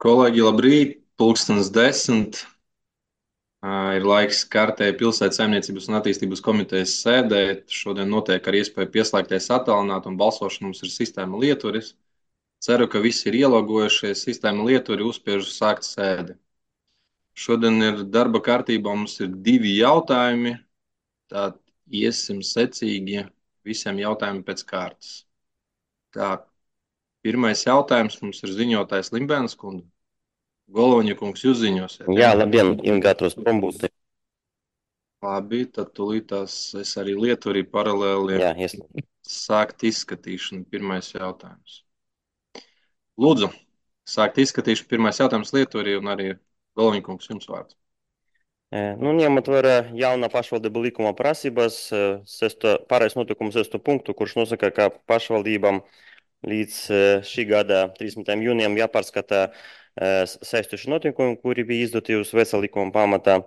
Kolēģi, labrīt! Pulkstens 10. Ir laiks kārtēji pilsētas saimniecības un attīstības komitejas sēdē. Šodien notiek ar iespēju pieslēgties attālināt un balsošana mums ir sistēma lieturis. Ceru, ka visi ir ielogojušies. Sistēma lieturi uzspiež sākt sēdi. Šodien ir darba kārtībā, mums ir 2 jautājumi. Tad iesim secīgi visiem jautājumiem pēc kārtas. Tā, pirmais jautājums mums ir ziņotājs Limbēnas kundze. Goloņa kungs, jūs ziņosiet, Jā, ja? labdien, ir gatavs prombūti. Labi, tad tūlītās es arī lieturi paralēli Jā, sākt izskatīšanu. Pirmais jautājums. Lūdzu, sākt izskatīšanu. Pirmais jautājums lieturi un arī Goloņa kungs, jums vārds. Nu, ņemot vērā jaunā pašvaldību likuma prasības, pārējais notikums 6. punktu, kurš nosaka, ka pašvaldībām līdz šī gada 30. jūnijam jāpārskata saistoši notikumi, kuri bija izdoti uz vecā likuma pamatā,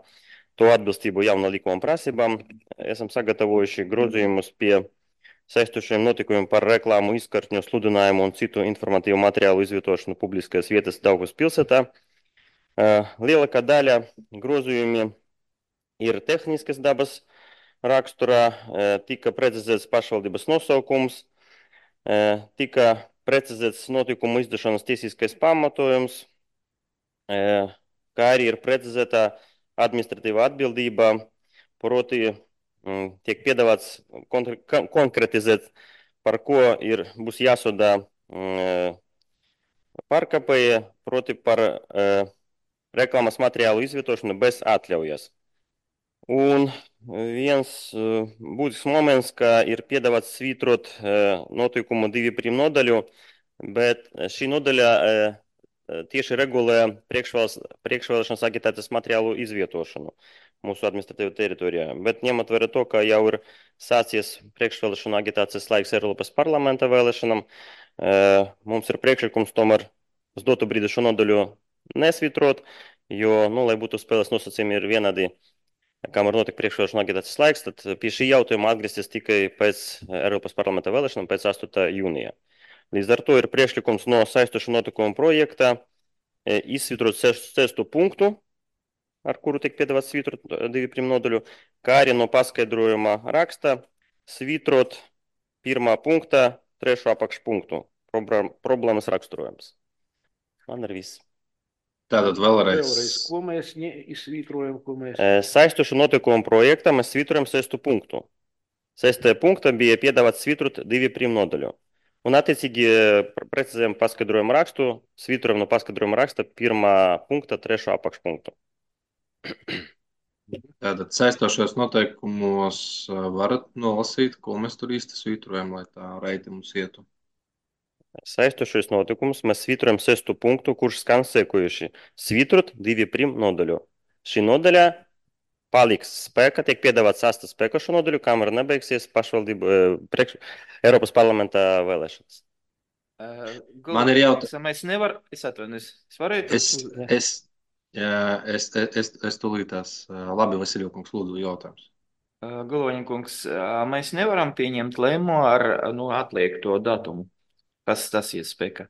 to atbilstību jaunā likuma prasībām. Esam sagatavojuši grozījumus pie saistošiem notikumiem par reklāmu, izkartņu, sludinājumu un citu informatīvu materiālu izvietošanu publiskajās vietas Daugavas pilsētā. Lielākā daļa grozījumi ir tehniskas dabas raksturā, tika precizēts pašvaldības nosaukums, tika precizēts notikumu izdašanas tiesiskais pamatojums, kā arī ir precizēta administratīva atbildība, proti tiek piedāvāts konkretizēt, par ko būs jāsodā pārkāpēji, proti par reklāmas materiālu izvietošanu bez atļaujas. Un viens būtisks moments, ka ir piedāvāts svītrot notikumu 2 nodaļu, bet šī nodaļa tieši regulē priekšvēlēšanas agitācijas materiālu izvietošanu mūsu administratīvā teritorijā. Bet ņemot vērā to, ka jau ir sācies priekšvēlēšana agitācijas laiks Eiropas parlamenta vēlēšanām, mums ir priekšlikums tomēr uz dotu brīdi šo nodaļu nesvītrot, jo, lai būtu spēles nosacījumi ir vienādi, kamēr notika priekšvēlēšana agitācijas laiks, tad pie šī jautājuma atgriezties tikai pēc Eiropas parlamenta vēlēšanām, pēc 8. jūnija. Līdz ar to ir priekšlikums no saistošu notikumu projekta izsvitrot 6. punktu, ar kuru tiek piedāvāts svītrot 2 nodaļu, kā arī no paskaidrojuma raksta svītrot 1. punktā 3. apakšpunktu. Problēmas raksturojums. Man ir viss. Tātad vēlreiz. Ko mēs izsvītrojam, ko mēs... Saistošu notikumu projektā mēs svītrojam 6. punktu. 6. punktā bija piedāvāts svītrot 2 nodaļu. Un attiecīgi precizējam paskaidrojumu rakstu, svītrojam no paskaidrojuma raksta 1. punkta 3. apakšpunktu. Tātad saistošos noteikumos varat nolasīt, ko mēs tur īsti svītrojam, lai tā reiti mums ietu. Saistošos notikumus mēs svītrojam 6. punktu, kurš skan sekojuši. Svītrot 2 nodaļu. Šī nodaļa paliks spēkā, tiek piedāvāts 8. spēkā šo nodaļu, kamēr nebeigsies pašvaldību Eiropas parlamenta vēlēšanas. Man ir jautājums. Mēs nevaram, es atvainojos, es varētu... Es tūlītās. Labi, Vasilija kungs, lūdzu, jautājums. Goloņa kungs, mēs nevaram pieņemt lēmumu ar atliekto datumu. Kas tas ir spēkā?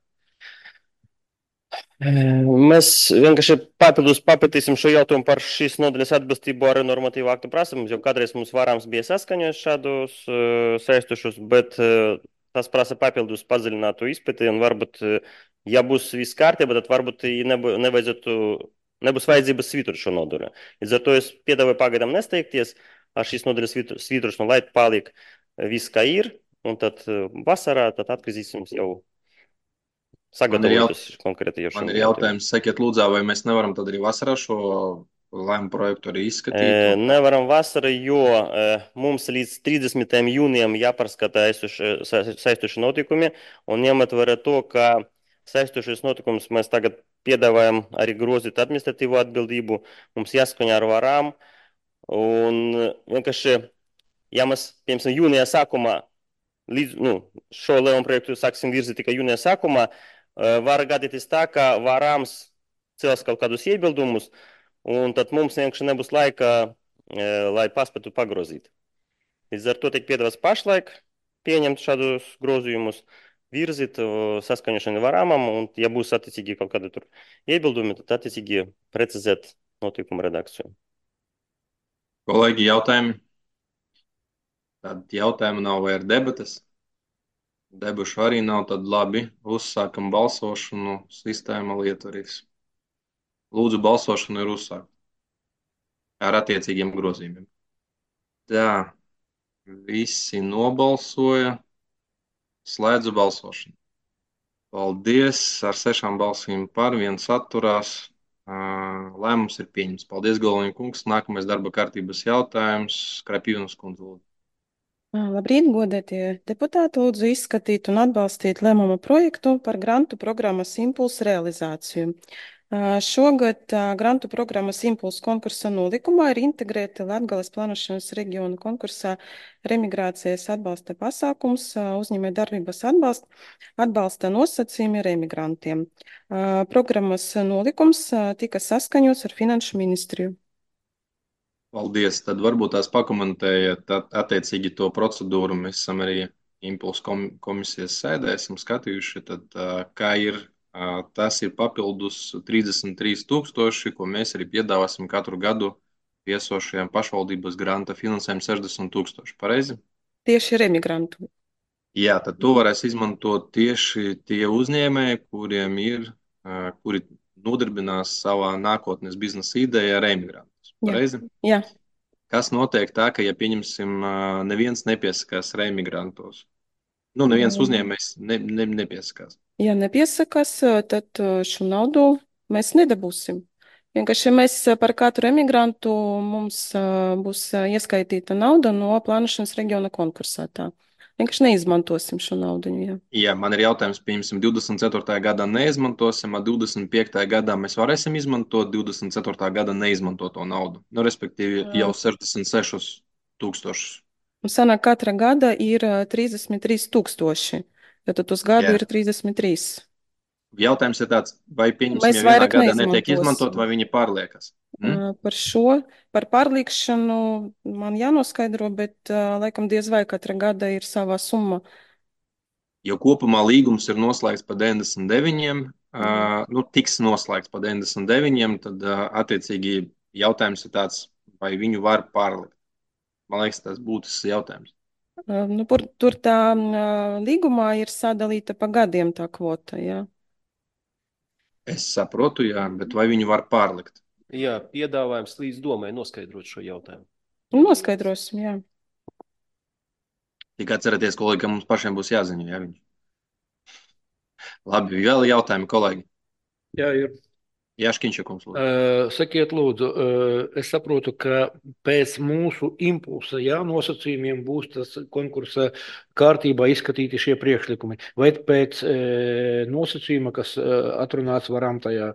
Mēs vienkārši papildus papētīsim šo jautājumu par šīs nodaļas atbilstību ar normatīvu aktu prasībām, jo kādreiz mums varams bija saskaņojis šādus saistošus, bet tas prasa papildus padziļinātu izpēti, un varbūt, ja būs viss kārtībā, tad varbūt nebūs vajadzības svītrot šo nodaļu. Līdz ar to es piedāvāju pagaidām nesteigties ar šīs nodaļas svītrošanu, lai paliek viss kā ir, un tad vasarā tad atgriezīsim jau sagatavotus konkrēti jau šim. Man ir jautājums, sakiet lūdzā, vai mēs nevaram tad arī vasarā šo lēmumu projektu arī izskatīt? Nevaram vasarā, jo mums līdz 30. jūnijam jāpārskata saistoši notikumi, un ņemot vērā to, ka saistošos notikumus mēs tagad piedāvājam arī grozīt administratīvu atbildību, mums jāskaņā ar varām, un vienkārši, ja mēs, piemēram, jūnijā sākumā, šo lēmumu projektu sāksim virzīt tikai jūnijā sākumā, var gadīties tā, ka varāms cels kaut kādus iebildumus, un tad mums vienkārši nebūs laika, lai paspētu pagrozīt. Līdz ar to tiek piedāvāts pašlaik pieņemt šādus grozījumus, virzīt saskaņošanu varamam, un, ja būs attiecīgi kaut kādi tur iebildumi, tad attiecīgi precizēt notiekumu redakciju. Kolēģi, jautājumi? Tad jautājumu nav vai ir debatas? Debušu arī nav, tad labi, uzsākam balsošanu, sistēma lietarīs. Lūdzu, balsošanu ir uzsākt ar attiecīgiem grozījumiem. Tā, visi nobalsoja, slēdzu balsošanu. Paldies, ar 6 balsīm par, 1 atturās. Lēmums ir pieņems. Paldies, Galviņa kungs. Nākamais darba kārtības jautājums. Krapīvnas kundze, lūdzu. Labrīt, godētie deputāti, lūdzu izskatīt un atbalstīt lēmuma projektu par grantu programmas impulsu realizāciju. Šogad grantu programmas impulsu konkursa nolikumā ir integrēti Latgales plānošanas reģiona konkursā remigrācijas atbalsta pasākums, uzņēmēju darbības atbalsta nosacījumi remigrantiem. Programmas nolikums tika saskaņots ar Finanšu ministriju. Paldies. Tad varbūt tās pakomentējiet attiecīgi to procedūru. Mēs esam arī impulsu komisijas sēdē, esam skatījuši, tad kā ir, tas ir papildus 33 000, ko mēs arī piedāvāsim katru gadu piesošajām pašvaldības granta finansējumu 60 000. Pareizi? Tieši remigrantu. Jā, tad to varēs izmantot tieši tie uzņēmēji, kuriem ir, kuri nodarbinās savā nākotnes biznesa idejā remigrantus. Pareizi? Jā. Kas notiek tā, ka, ja pieņemsim, neviens nepiesakās remigrantos? Nu, neviens uzņēmējs nepiesakās. Ja nepiesakās, tad šo naudu mēs nedabūsim. Vienkārši mēs par katru emigrantu mums būs ieskaitīta nauda no plānošanas reģiona konkursā. Tā. Vienkārši neizmantosim šo naudu. Jā. Jā, man ir jautājums, pieņemsim, 24. gadā neizmantosim, a 25. gadā mēs varēsim izmantot 24. gada neizmantoto naudu. Nu, respektīvi, jau 66 000. Un sanāk, katra gada ir 33 000. Tad uz gadu ir 33. Jautājums ir tāds, vai pieņemsim, Mēs ja vienā vairāk gadā netiek izmantot, neizmantosim. vai viņi pārliekas? Par pārliekšanu man jānoskaidro, bet laikam diez vai katra gada ir savā summa. Jo kopumā līgums ir noslēgts pa 99, nu, tiks noslēgts pa 99, tad attiecīgi jautājums ir tāds, vai viņu var pārlikt. Man liekas, tas būtisks jautājums. Nu, tur tā līgumā ir sadalīta pa gadiem tā kvota, jā. Es saprotu, jā, bet vai viņu var pārlikt? Jā, piedāvājums līdz domai noskaidrot šo jautājumu. Noskaidrosim, jā. Tikai atcerieties, kolēģi, ka mums pašiem būs jāziņo, jā, viņš. Labi, vēl jautājumi, kolēģi. Jā, ir. Jaškiņš, kungs, lūdzu. Sakiet, lūdzu, es saprotu, ka pēc mūsu impulsa, jā, nosacījumiem būs tas konkursa kārtībā izskatīti šie priekšlikumi. Vai pēc nosacījuma, kas atrunāts varam tajā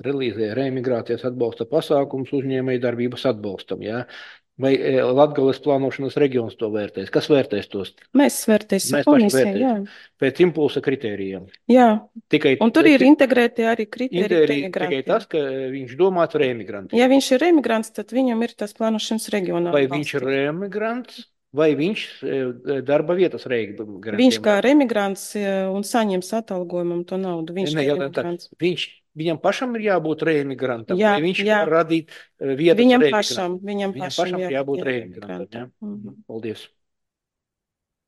relīzē, reemigrācijas atbalsta pasākums uzņēmēju darbības atbalstam, jā? Vai Latgales plānošanas reģions to vērtēs? Kas vērtēs tos? Mēs vērtēsim komisiju, jā. Pēc impulsa kritērijiem. Jā, tikai, un tur ir integrēti arī kritēriji. Tikai tas, ka viņš domāts ar emigrantiem. Ja viņš ir emigrants, tad viņam ir tas plānošanas reģionā. Vai viņš ir emigrants, vai viņš darba vietas remigrantiem? Viņš kā emigrants un saņems atalgojumam to naudu. Viņš ir emigrants. Viņam pašam ir jābūt reemigrantam, jā, vai viņš jā. var radīt vietas viņam reemigrantam? Viņam pašam ir jābūt reemigrantam. Paldies.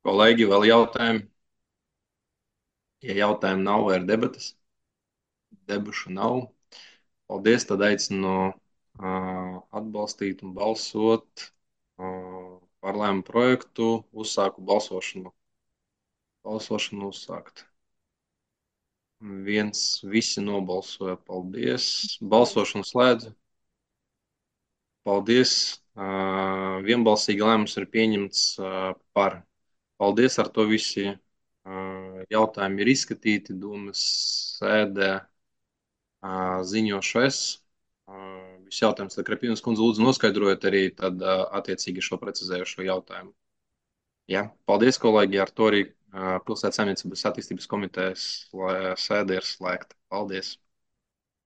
Kolēģi, vēl jautājumi? Ja jautājumu nav, vai ir debatas? Debušu nav. Paldies, tad aicinu atbalstīt un balsot par lēmumu projektu. Uzsāku balsošanu. Balsošanu uzsākt. Visi nobalsoja. Paldies. Balsošanu slēdzu. Paldies. Vienbalsīgi lēmums ir pieņemts par. Paldies, ar to visi jautājumi ir izskatīti. Dūmas sēdē ziņošu es. Viss jautājums, tad Krapīnas kundze lūdzu noskaidrojot arī tad attiecīgi šo precizējušo jautājumu. Jā, paldies, kolēģi, ar to arī Pilsētas saimniecības attīstības komitejas sēde ir slēgta. Paldies!